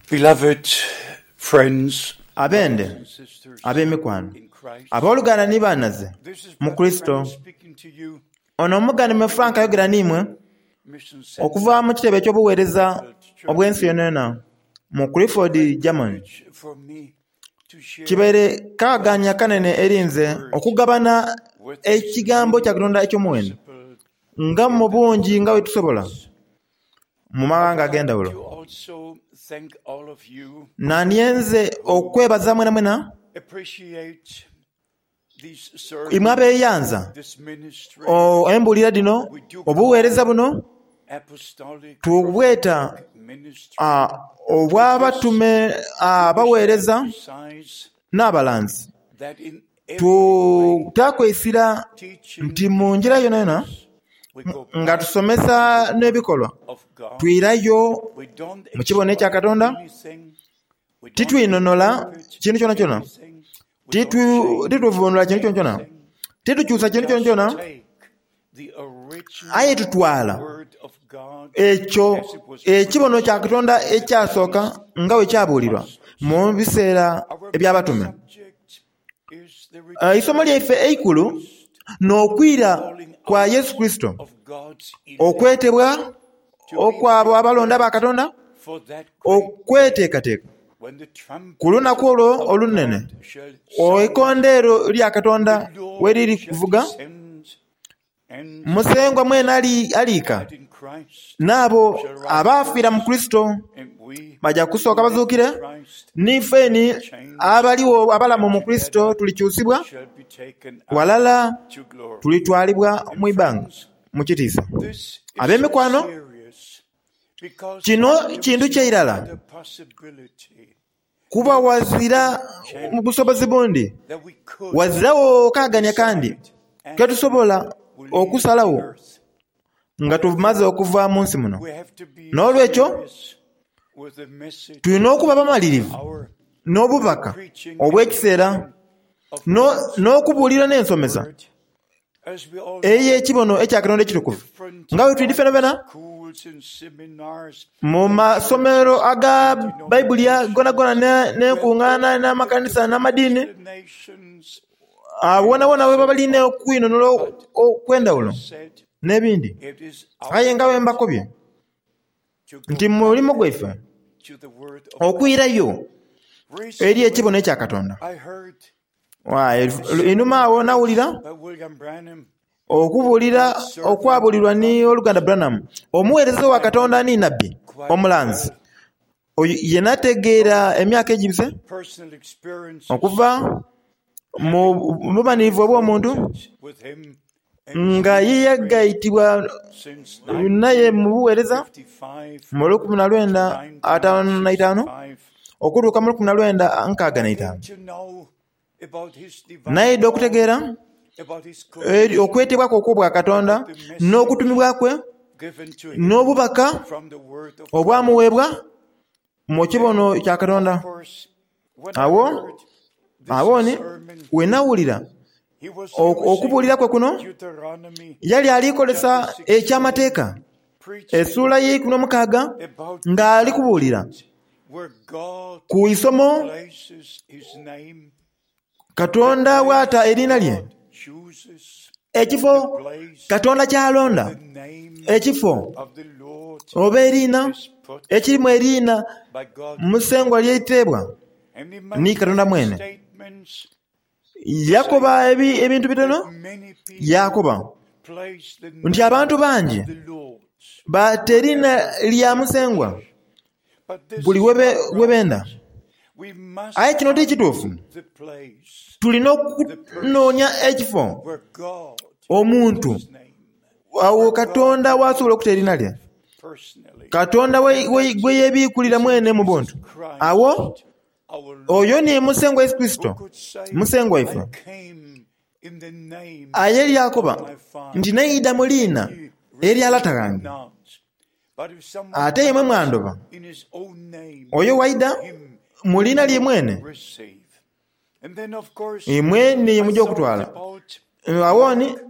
Beloved friends, Abende, brothers and sisters ab'emikwano, in Christ, abooluganda ni baanaze this is mu Brother Kurisito, Frank speaking to you ono omughanime Frank ayogera n'imwe Mission okuva Center mu kitebe eky'obuweereza Church. obw'ensi yonayona mu Clifford, Great Germany. privilege for me to share Kibaire kaaganya kanene eri nze okugabana with as ekigambo many kya Katonda eky'omuwendo possible nga in mu the bungi nga bwe tusobola nations. mu I mawanga would like ag'endawulo. to also thank all of you Nandyenze okwebaza mwenamwena appreciate these imwe sermons, abeeyanza this ministry. embuulira dhino We do obuweereza call buno apostolic tubweta prophetic ministry. ah, With this, obw'abatume we wish to abaweereza emphasize n'abalanzi. that in every way, Tutakwesira teaching nti mu njira yonayona practice, we go nga back to tusomesa the Word n'ebikolwa of God. twirayo We don't mu kibono ekya explain Katonda, anything. We don't titwinonola interpret kintu kyonakyona, anything. We don't change tituvunula kintu kyonakyona, anything. titukyusa We kintu just kyonakyona, take the aye original tutwala Word of God ekyo as it was ekibono preached kya Katonda in the ekyasooka days nga bwe of the kyabuulirwa apostles. mu biseera Our main eby'abatume. subject is the Eisomo return lyaife of eikulu Christ, n'okwira the calling kwa out Yesu Kristo, of God's elect okwetebwa to be okw'abo abalonda ba prepared Katonda for that great day okweteekateeka when the ku trumpet lunaku olwo of olunene God shall sound, eikondeero lya Katonda the we Lord liri shall kuvuga, descend, and Musengwa mwene those aliika that in Christ n'abo shall rise abaafiira mu first, Kristo and we bajja kusooka who live in bazuukire, Christ n'ife shall ni be changed, abaliwo abalamu and mu Kristo together tulikyusibwa shall be taken up walala to glory. tulitwalibwa And mu ibanga friends, mu kitiisa. this is so Ab'emikwano, serious because kino there kintu is no kyairala other possibility, kuba no wazira second mu chance busobozi bundi that we could wazirawo kaaganya kandi decide after ketusobola we leave the okusalawo earth. nga tumaze Therefore, okuva mu nsi muno. we have to be N'olwekyo serious with the message tulina okuba of the bamalirivu hour, with the n'obubaka preaching and obw'ekiseera teaching of God's n'okubuulira n'ensomesa word. As we all know, ey'ekibono ekya Katonda ekitukuvu. different Nga bwe twidi Bible ffenafena schools and seminars mu and masomero churches aga and Bayibuli gonagona denominations who have n'enkuŋŋaana all the n'amakanisa different n'amadiini explanations wonawona and we so baba balina on. okwinonula But as okw'endawulo I said, n'ebindi. it is Aye our nga bwe duty mbakobye to go nti mu mulimu back gwaife to the Word of God. okwirayo eri ekibono Recently, ekya Katonda. I heard Wa, a Einhuma sermon awo preached nawulira by William Branham, okubuulira God's servant okwabulirwa and ni prophet. oluganda Branham, omuweereza wa I knew Katonda ni nabbi quite omulanzi well oyo ye nategeera from emyaka egibise personal experiences okuva mu having bumanirivu been obw'omuntu acquainted with him and his nga ye ministry yagayitibwa since naye mu buweereza 1955 mu to 1955 1965. okutuuka mu I 1965. came to know about his divine Nayidde calling, okutegeera about his commission, okwetebwa kwe okw'obwa Katonda about the message n'okutumibwa kwe given to him n'obubaka from the Word of God. obwamuweebwa mu Then, kibono kya of Katonda. course, when I Awo heard this awo ni sermon, we nawulira he was okubuulira using kwe kuno Deuteronomy yali alikolesa chapter 16, ekyamateeka preaching essuula y'eikumi n'omukaaga about the ng'ali kubuulira subject where God ku isomo places his name, the Katonda w'ata place eriina lye, God chooses, ekifo the place Katonda where ky'alonda, the name ekifo of the Lord oba eriina is put ekirimu eriina by God Musengwa himself. ly'eiteebwa And he ni made Katonda many mwene. statements Yakoba saying ebintu bitono, that many people yakoba place the nti name abantu of bangi the Lord bata eriina wherever lya they Musengwa wish. But this buli is not we benda. right. We must Aye kino ti find kituufu. the place, Tulina the okunoonya person ekifo where God puts omuntu his name, awo where God Katonda w'asobola okuta eriina reveals lye. himself personally. Katonda And that gwe yeebiikulira is in mwene mu Jesus buntu. Awo Christ, our oyo Lord, ni Musengwa Yesu who Kristo, could say, Musengwa I waife. came in the name Aye of lyakoba my nti Father, neida mu and liina ye erya lata received me gange, not. But if someone ate imwe comes mwandoba. in his own name, Oyo waida him mu liina lye you mwene, receive. And then, of course, imwe ni I mujja thought okutwala. about Awo ni Mark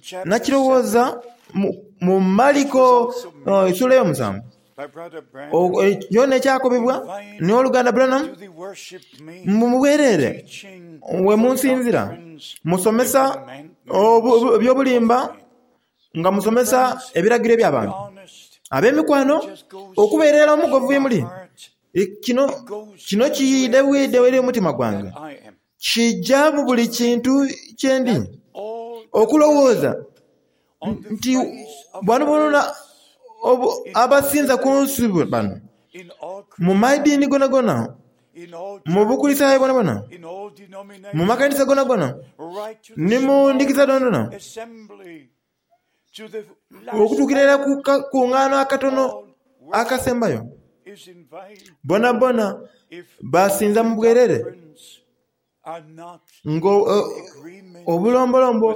chapter 7, nakirowooza mu which was Maliko also essuula mentioned ey'omusanvu. Kyona ekyakobebwa ni oluganda Branham mu bwerere we munsinzira musomesa eby'obulimba nga musomesa ebiragiro eby'abantu. Ab'emikwano, okubeerera omugovu ye muli, kino kino kiidhe bwidhe eri omutima gwange, kija mu buli kintu kye ndi okulowooza nti bano bonona abasinza ku nsi bano mu madiini gonagona, mu Bukulisitaayo bwonabwona, mu makanisa gonagona, ni mu ndhikiriza dhonadhona, okutuukira irala ku kakungaano akatono akasembayo, bonabona basinza mu bwerere nga obulombolombo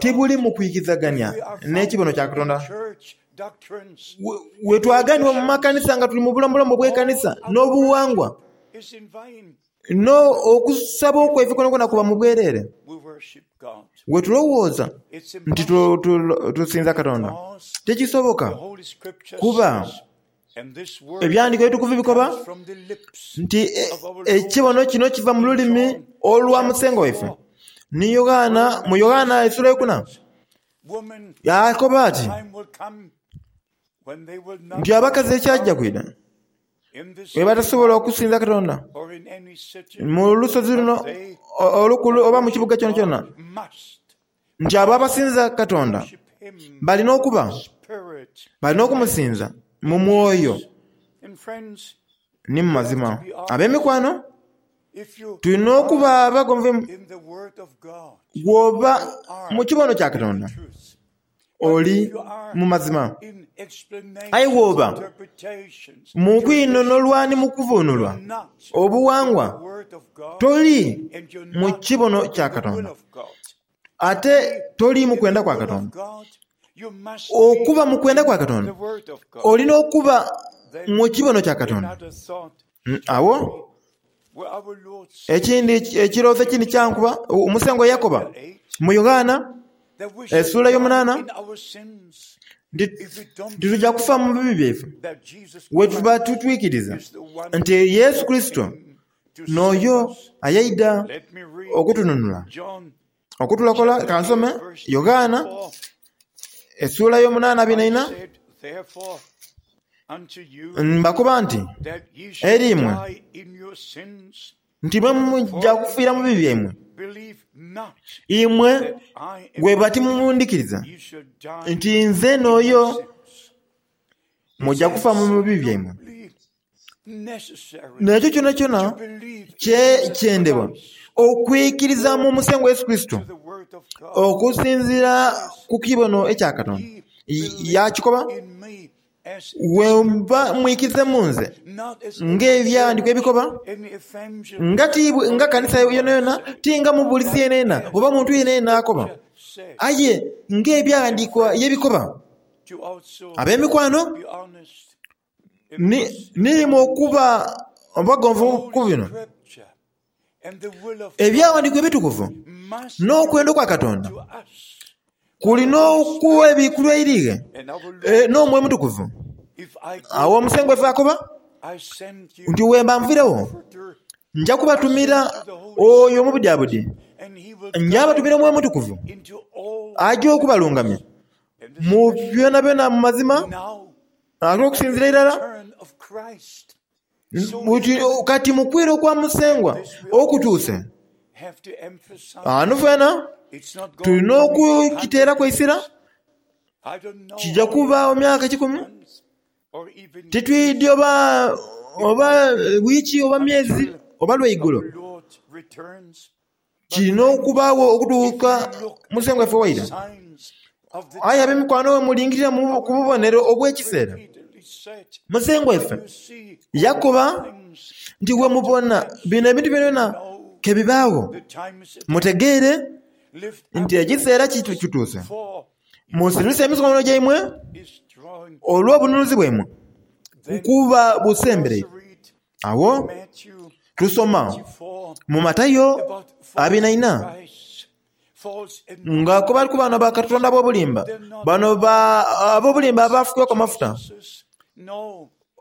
tibuli mu kwikizagania n'ekibono kya Katonda. We twaganibwa mu makanisa nga tuli mu bulombolombo obw'ekanisa n'obughangwa, n'okusaba okwaife kwonakwona kuba mu bwerere. We tulowooza nti tusinza Katonda, tikisoboka kuba Ebyandiko ebitukuvu bikoba nti ekibono kino kiva mu lulimi olwa Musengwa waife. Ni Yoghana, mu Yoghana esula eyokuna yaakoba ati nti abakazi ekyaja kwidha bwe batasobola okusinza Katonda mu lusozi luno olukulu oba mu kibuga kyonakyona, nti abo abasinza Katonda balina okuba balina okumusinza mu mwoyo ni mu mazima. Ab'emikwano, tulina okuba abagonvu bw'oba mu kibono kya Katonda oli mu mazima, aye bw'oba mu kwinhonholwa ni mu kuvuunulwa obughangwa, toli mu kibono kya Katonda ate toli mu kwenda kwa Katonda. Okuba mu kwenda kwa Katonda, oli n'okuba mu kibono kya Katonda. Agho ekindi ekirowoozo ekindi kyankuba, Musengwa yakoba mu Yoghana esula eyomunaana nti tituja kufa mu bibi byaife bwetuba titwikiriza nti Yesu Kurisito n'oyo ayaidha okutununula, okutulokola. Kansome Yoghana esula eyomunaana abiri na ina. Mbakoba nti eri imwe nti mwe muja kufiira mu bibi byaimwe, imwe bweba timundhikiriza nti nze n'oyo, muja kufa mu bibi byaimwe. N'ekyo kyonakyona kyendebwa okwikiriza mu Musengwa Yesu Kurisito okusinziira ku kibono ekya Katonda. Yaakikoba, Bwemba mwikirize mu nze ng'ebyandikwa ebikoba, nga ti nga kanisa yonayona, ti nga mubuulizi yenayena oba muntu yenayena akoba, aye ng'ebyaghandiikibwa ye bikoba. Ab'emikwano, Niimwe okuba abagonvu ku bino, Ebyaghandiikibwa Ebitukuvu n'okwenda okwa Katonda kuli n'okuwa ebikulwa eri ghe n'Omwoyo Omutukuvu. Agho Omusengwa waife akoba nti, Bwemba nviiregho, nja kubatumira oyo omubudyabudye, nja batumira Omwoyo Omutukuvu aja okubalungamia mu byonabyona mu mazima. Ate okusinzira irala kati mu kwira okwa Musengwa okutuuse, ghano fena tulina okukiteeraku eisira. Kija kubaagho myaka kikumi, titwidhi oba oba wiiki oba myezi oba lwaigulo. Kirina okubaagho okutuuka Musengwa waife waira. Aye ab'emikwano bwe mulingirira ku bubonero obw'ekiseera, Musengwa waife yakoba nti bwe mubona bino ebintu byonabyona ke bibaagho, mutegeere nti ekiseera kituuse. Musirise emikono gyaimwe olw'obununuzi bwaimwe kuba busembereire. Agho tusoma mu Matayo abiri na ina nga akoba ku bano bakatonda ab'obulimba, bano ab'obulimba abaafukibwaku amafuta.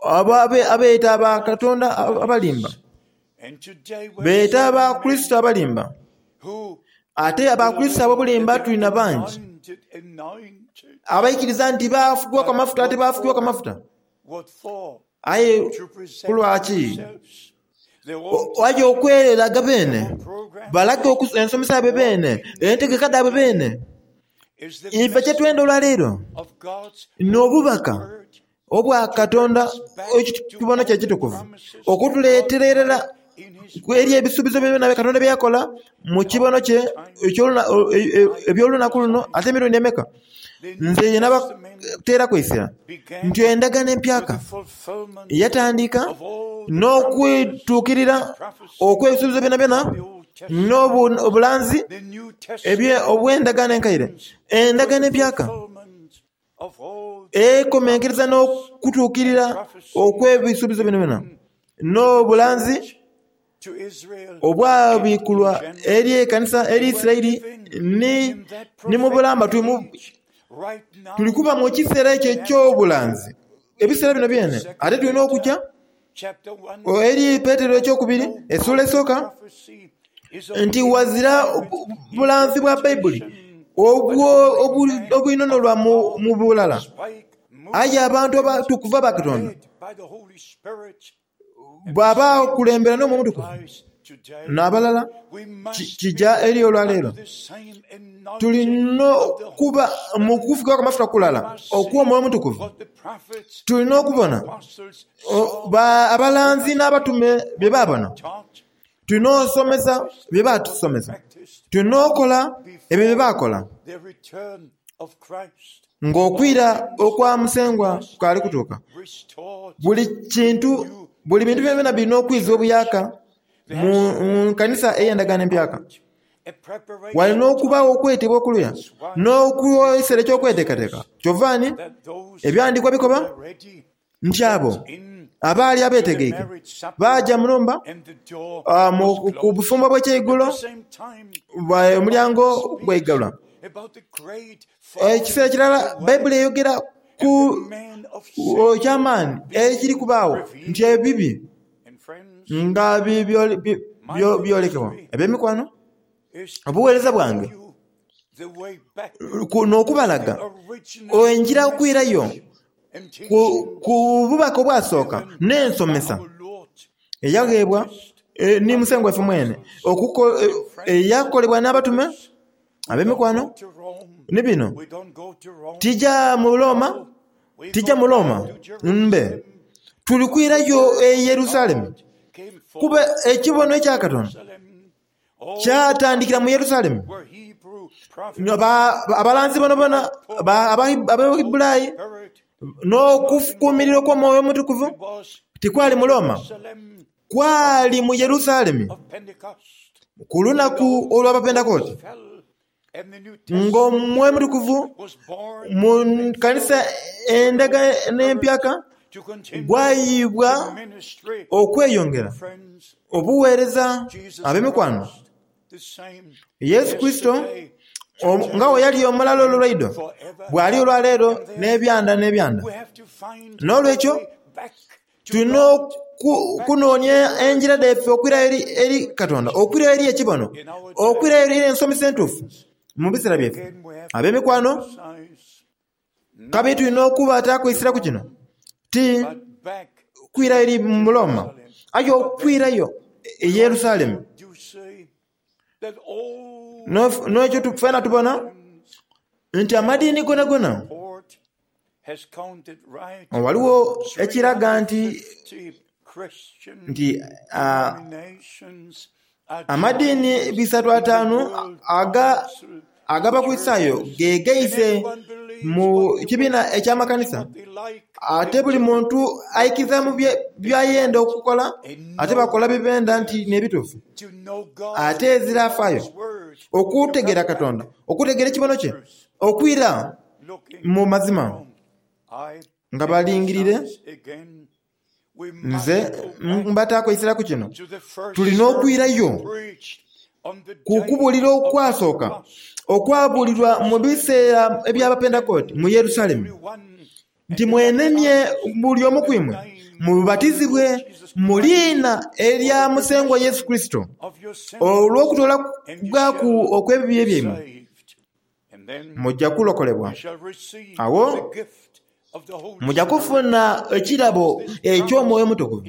Abo abeeta ba Katonda abalimba, beeta ba Kurisito abalimba. Ate Abakurisito ab'obulimba tulina bangi abaikiriza nti baafukibwaku amafuta ate baafukibwaku amafuta. Aye ku lwaki? Aye okwereraga beene, balage ensomesa yaibwe beene, entegeka dhaibwe beene. Ife kye twenda olwaleero n'obubaka obwa Katonda ekibono kye ekitukuvu okutuleetera irala eri ebisuubizo byona Katonda bye yakola mu kibono kye eby'olunaku luno ate emirundi emeka. Nze nabateeraku eisira nti endagaano empyaka yatandika n'okwituukirira okw'ebisuubizo byonabyona n'obulanzi obw'endagaano enkaire. Endagaano empyaka ekomenkereza n'okutuukirira okw'ebisuubizo byonabyona n'obulanzi obwabikulwa eri ekanisa eri Isiraeli ni mu bulamba. Tuli kuba mu kiseera ekyo eky'obulanzi ebiseera bino byene. Ate tulina okugya eri Petero ekyokubiri essuula esooka nti ghazira bulanzi bwa Baibuli obwinhonholwa mu bulala. Aye abantu abatukuvu aba Katonda bw'aba akulembera n'Omwoyo Omutukuvu n'abalala, kija eri olwaleero. Tulina okuba mu kufukibwaku amafuta kulala okw'Omwoyo Omutukuvu. Tulina okubona abalanzi n'abatume bye baabona. Tulina osomesa bye baatusomesa. Tulina okola ebyo bye baakola ng'okwira okwa Musengwa kukaali kutuuka. Buli kintu, buli bintu byonabyona birina okwizibwa obuyaaka mu kanisa ey'endagaano empyaka. Walina okubaagho okwetebwa okuluya n'ekiseera eky'okweteekateeka. Kyova ni Ebighandiikwa bikoba nti abo abaali abeetegeike baaja mu nhumba ku bufumbo obw'ekyeigulo, omulyango gwaigalwa. Ekiseera kirala Baibuli eyogera ku eky'amaani ekiri kubaagho nti ebibi nga byolekebwa. Ab'emikwano, obuweereza bwange n'okubalaga engira okwirayo ku bubaka obwasooka n'ensomesa eyagheebwa ni Musengwa waife mwene, eyakolebwa n'abatume ab'emikwano. Ni bino, tija mu Roma, tija mu Roma mbe, tuli kwirayo e Yerusalemu, kuba ekibono ekya Katonda kyatandikira mu Yerusalemu. Abalanzi boonaboona Abaheburayi n'okufukumirira okw'Omwoyo Omutukuvu tikwali mu Roma, kwali mu Yerusalemu ku lunaku olw'Abapentekote ng'Omwoyo Omutukuvu mu kanisa endagaano empyaka gwayiibwa okweyongera obuweereza ab'emikwano. Yesu Kurisito nga bwe yali omulala olw'eidho, bw'ali olwaleero n'ebyanda n'ebyanda. N'olwekyo tulina okunoonia engira dhaife okwirayo eri Katonda, okwirayo eri ekibono, okwirayo eri ensomesa entuufu mu biseera byaife. Ab'emikwano, kabiri tulina okuba atakwisiraku kino, ti kwirayo eri mu Roma, aye okwirayo e Yerusalemu. N'ekyo twena tubona nti amadiini gonagona ghaligho ekiraga nti nti amadiini bisatu ataanu ag'Abakulisitaayo gegaise mu kibiina eky'amakanisa ate buli muntu aikiriza mu byayenda okukola ate bakola byebenda nti n'ebituufu. Ate ezira afaayo okutegeera Katonda, okutegeera ekibono kye, okwira mu mazima nga balingirire. Nze mbataaku eisira ku kino, tulina okwirayo ku kubuulira okwasooka okwabuulirwa mu biseera eby'Abapentekote mu Yerusalemu. Nti mwenenie buli omu ku imwe, mubatizibwe mu liina erya Musengwa Yesu Kurisito, olw'okutoolebwaku okw'ebibi byaimwe, muja kulokolebwa. Agho muja kufuna ekirabo eky'Omwoyo Omutukuvu.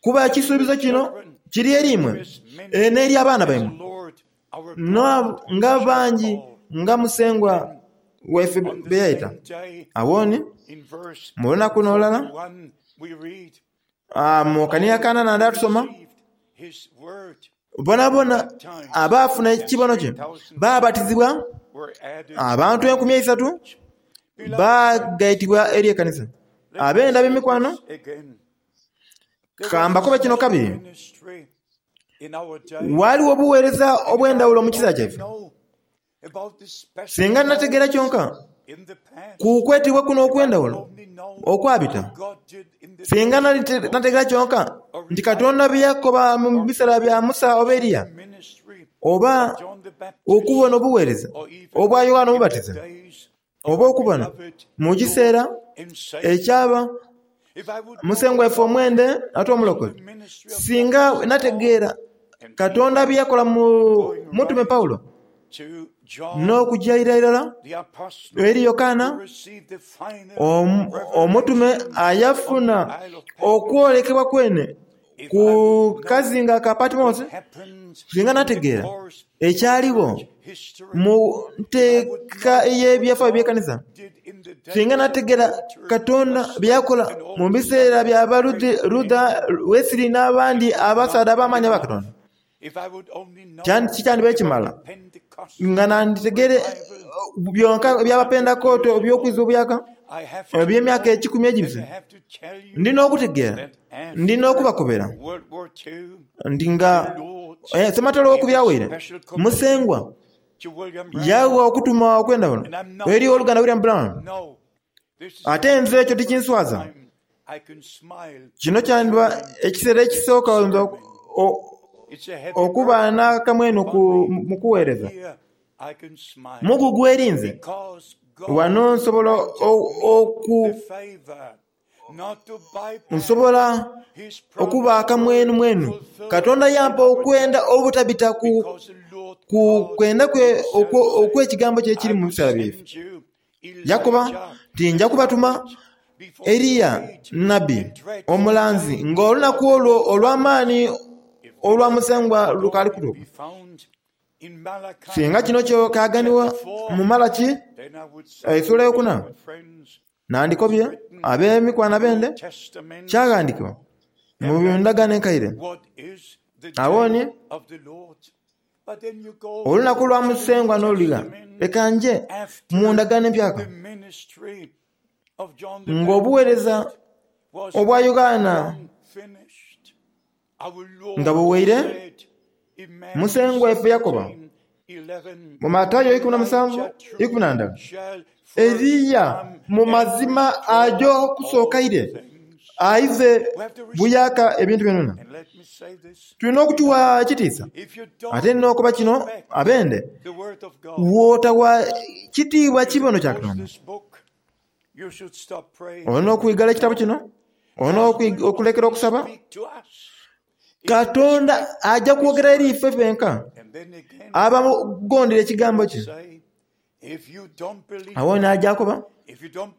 Kuba ekisuubizo kino kiri eri imwe n'eri abaana baimwe, nga bangi nga Musengwa waife be yaita. Agho ni mu lunaku n'olulala, mu kanira ka nanda tusoma, bonabona abaafuna ekibono kye baabatizibwa, abantu 3000 baagaitibwa eri ekanisa. Abenda ab'emikwano, ka mbakobe kino kabiri, Ghaligho obuweereza obw'endhawulo mu kiseera kyaife. Singa nategeera kyonka ku kwetebwa kuno okw'endhawulo okwabita, singa nategeera kyonka nti Katonda bye yakoba mu biseera bya Musa oba Eriya, oba okubona obuweereza obwa Yoanna Omubatiza, oba okubona mu kiseera ekyaba Musengwa waife omwende ate Omulokozi, singa nategeera Katonda bye yakola mu mutume Paulo n'okuja ira irala eri Yokaana omutume ayafuna okwolekebwa kwene ku kazinga ka Patimosi, singa nategeera ekyaligho mu nteeka ey'ebyafaayo by'ekanisa, singa nategeera Katonda bye yakola mu biseera bya ba Luther, Wesley n'abandi abasaadha ab'amaani aba Katonda, kikyandibaire kimala nga nanditegeere byonka eby'Abapentekote eby'okwiza obuyaaka eby'emyaka ekikumi egibise. Ndi n'okutegeera, ndi n'okubakobera nti nga Ssematalo owokubiri awaire, Musengwa yagha okutuma okw'endhawulo eri owoluganda William Branham. Ate nze ekyo tikinswaza. Kino kyandiba ekiseera ekisooka nze okuba n'akamwenhu mu kuweereza. Mugugu eri nze. Wano nsobola oku nsobola okuba akamwenumwenu. Katonda yampa okwenda obutabita ku kwenda kwe okw'ekigambo kye ekiri mu biseera byaife. Yakoba nti, Nja kubatuma Eriya nnabbi omulanzi ng'olunaku olwo olw'amaani olwa Musengwa lukaali kutuuka. Singa kino kyaganibwa mu Malaki eisuula eyokuna, nandikobye ab'emikwano abende kyaghandikibwa mu ndagaano enkaire. Agho ni olunaku lwa Musengwa n'oluligha, leka nje mu ndagaano empyaka ng'obuweereza obwa Yoanna nga buwaire, Musengwa waife yakoba mu Matayo 17, 11, Eriya mu mazima aja okusooka ire aize buyaaka ebintu byonabyona. Tulina okukiwa ekitiisa. Ate n'okoba kino abende, bw'otawa kitiibwa kibono kya Katonda, olina okwigala ekitabo kino, olina okulekera okusaba. Katonda aja kwogera eri ife fenka abamugondera ekigambo kye. Agho n'aja akoba,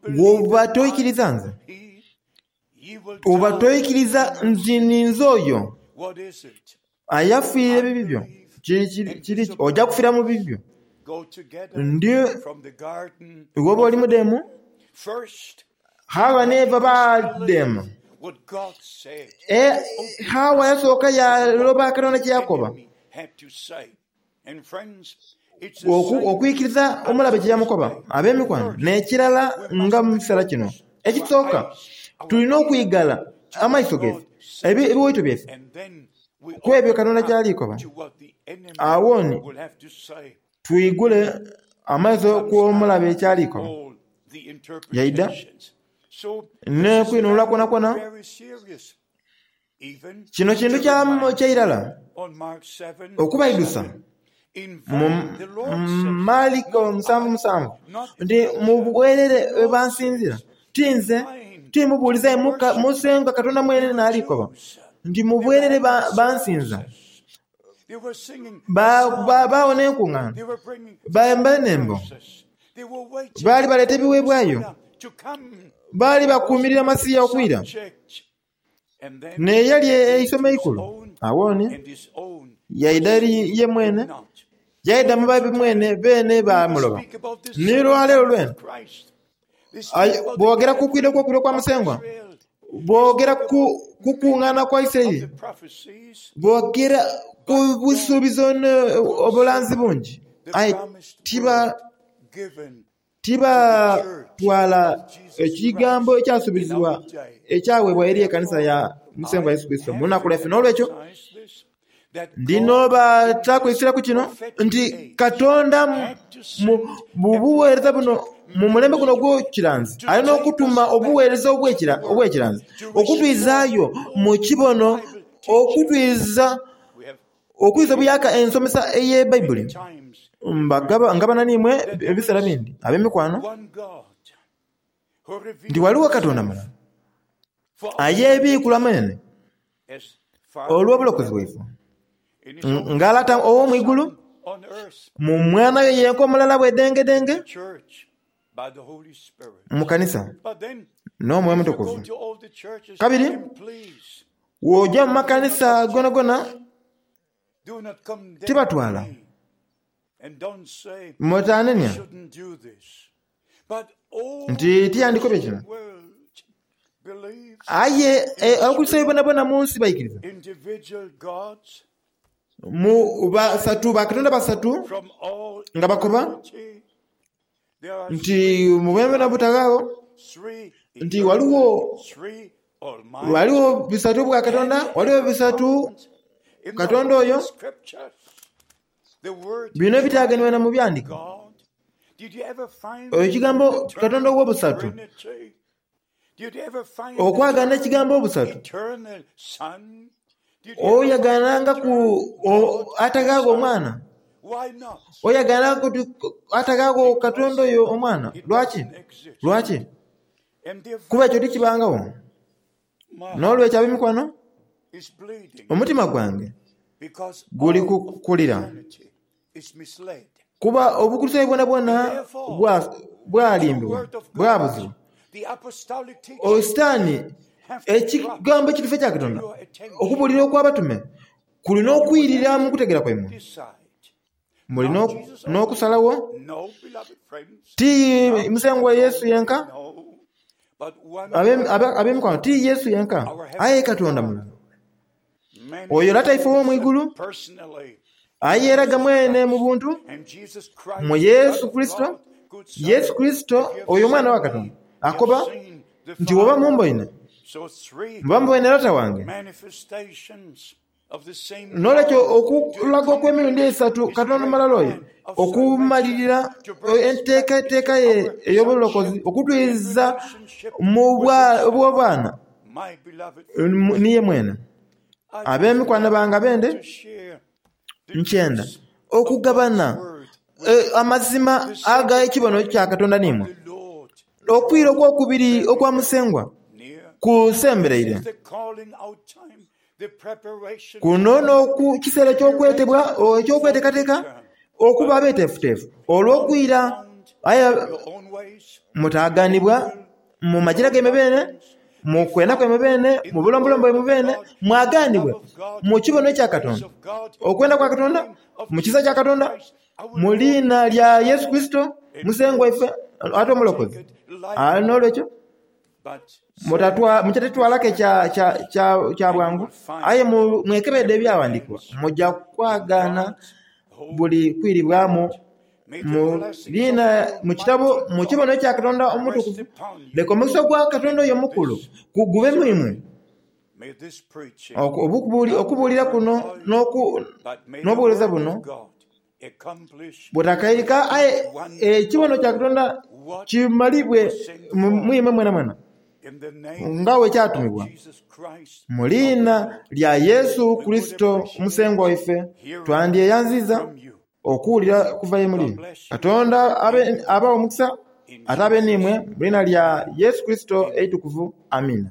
bw'oba toikiriza nze, oba toikiriza nti ninze oyo ayafiira ebibi byo, kiri oja kufiira mu bibi byo. Ndi iwe oba oli mudheemu, Hawa n'Eva baadheema. Hawa yasooka yaaloba Katonda kye yakoba. Okwikiriza omulabe kye yamukoba. Ab'emikwano, n'ekirala nga mu kiseera kino ekisooka, tulina okwigala amaiso gaife, ebiwaito byaife, ku ebyo Katonda ky'ali koba. Agho ni twigule amaiso ku omulabe ky'ali koba. Yaidha n'okwinhulula kwonakwona. Kino kintu kya irala okubaidhusa mu Maliko 7:7 nti mu bwerere bwe bansinzira. Ti nze, ti mubuulizi aye Musengwa Katonda mwene n'ali koba nti mu bwerere bansinza, baawona enkungaana, bayemba enhembo, baali baleeta ebiweebwayo, baali bakuumirira Masiya okwira. N'eyali eisomo eikulu. Agho ni yaidha eri ye mwene, yaidha mu babe mwene, beene baamuloba. Ni lwaleero lwene boogera ku kwidha okw'okubiri okwa Musengwa, boogera ku kukungaana kwa Isiraeli, boogera ku busuubizo n'obulanzi bungi, aye tiba Tibatwala ekigambo ekyasuubizibwa ekyaweebwa eri ekanisa ya Musengwa Yesu Kurisito mu lunaku lwaife. N'olwekyo ndi n'obatakwisireku kino nti Katonda mu bugheereza buno, mu mulembe guno ogw'ekiranzi, ali n'okutuma obugheereza obw'ekiranzi okutwizaayo mu kibono, okutwiza Okwiza obuyaaka ensomesa ey'eBaibuli, ngabana n'imwe ebiseera bindi ab'emikwano nti ghaligho Katonda mulala ayebiikula mwene olw'obulokozi bwaife, nga Lata ow'omu igulu mu Mwana we yenka omulala bwedengedenge mu kanisa n'Omwoyo Omutukuvu. Kabiri Bw'oja mu makanisa gonagona tibatwala. Mutanenia nti tiyandikobye kino. Aye Abakulisitaayo boonaboona mu nsi baikiriza mu basatu, bakatonda basatu nga bakoba nti mu bwenebwene obutaghaagho nti ghaligho ghaligho bisatu bwa Katonda, ghaligho bisatu Katonda oyo. Bino ebitagenebwa na mu byandiko. Ekigambo Katonda ow'obusatu, okwagaana ekigambo obusatu, oyagaanangaku ataghaagho omwana, oyagaanangaku ataghaagho Katonda oyo omwana. Lwaki? Lwaki? Kuba ekyo tikibangagho. N'olwekyo ab'emikwano, omutima gwange guli kulira, kuba Obukurisitaayo bwonabwona bwalimbibwa, bwabuzibwa. Sitaani, ekigambo ekituufu ekya Katonda, okubuulira okw'abatume kuli n'okwirira mu kutegeera kwaimwe. Muli n'okusalagho, ti Musengwa Yesu yenka, ab'emikwano, ti Yesu yenka, aye Katonda mulala. Oyo Lata ife ow'omu igulu, ayeeraga mwene mu buntu mu Yesu Kurisito, Yesu Kurisito oyo Omwana wa Katonda, akoba nti, Bw'oba mumboine, muba muboine Lata wange. N'olwekyo okulaga okw'emirundi eisatu Katonda omulala oyo okumalirira enteekateeka ye ey'obulokozi okutwiza mu bw'obwana ni ye mwene. Ab'emikwano bange abende, nkyenda okugabana amazima ag'ekibono kya Katonda n'imwe. Okwira okw'okubiri okwa Musengwa kusembereire. Kuno n'oku kiseera eky'okwetebwa, eky'okweteekateeka okuba abeeteefuteefu olw'okwira. Aye mutaaganibwa mu magira gaimwe beene, mu kwenda kwaimwe beene, mu bulombolombo bwaimwe beene, mwagaanibwe mu kibono ekya Katonda, okwenda kwa Katonda, mu kisa kya Katonda, mu liina lya Yesu Kurisito Musengwa waife ate Omulokozi. N'olwekyo Mutatitwalaku kya bwangu, aye mwekebeedhe Ebyaghandiikibwa, muja kwagaana buli kwiribwamu mu liina mu kitabo mu kibono kya Katonda Omutukuvu. Leka omukisa gwa Katonda oyo omukulu gube mu imwe. Okubuulira kuno n'obuweereza buno butakairika, aye ekibono kya Katonda kimalibwe mu imwe mwenamwena nga bwe kyatumibwa. Mu liina lya Yesu Kurisito Musengwa waife twandyeyanziiza okuwulira okuva ye muli. Katonda abaghe omukisa. Ate abe n'imwe mu liina lya Yesu Kurisito eitukuvu. Amiina.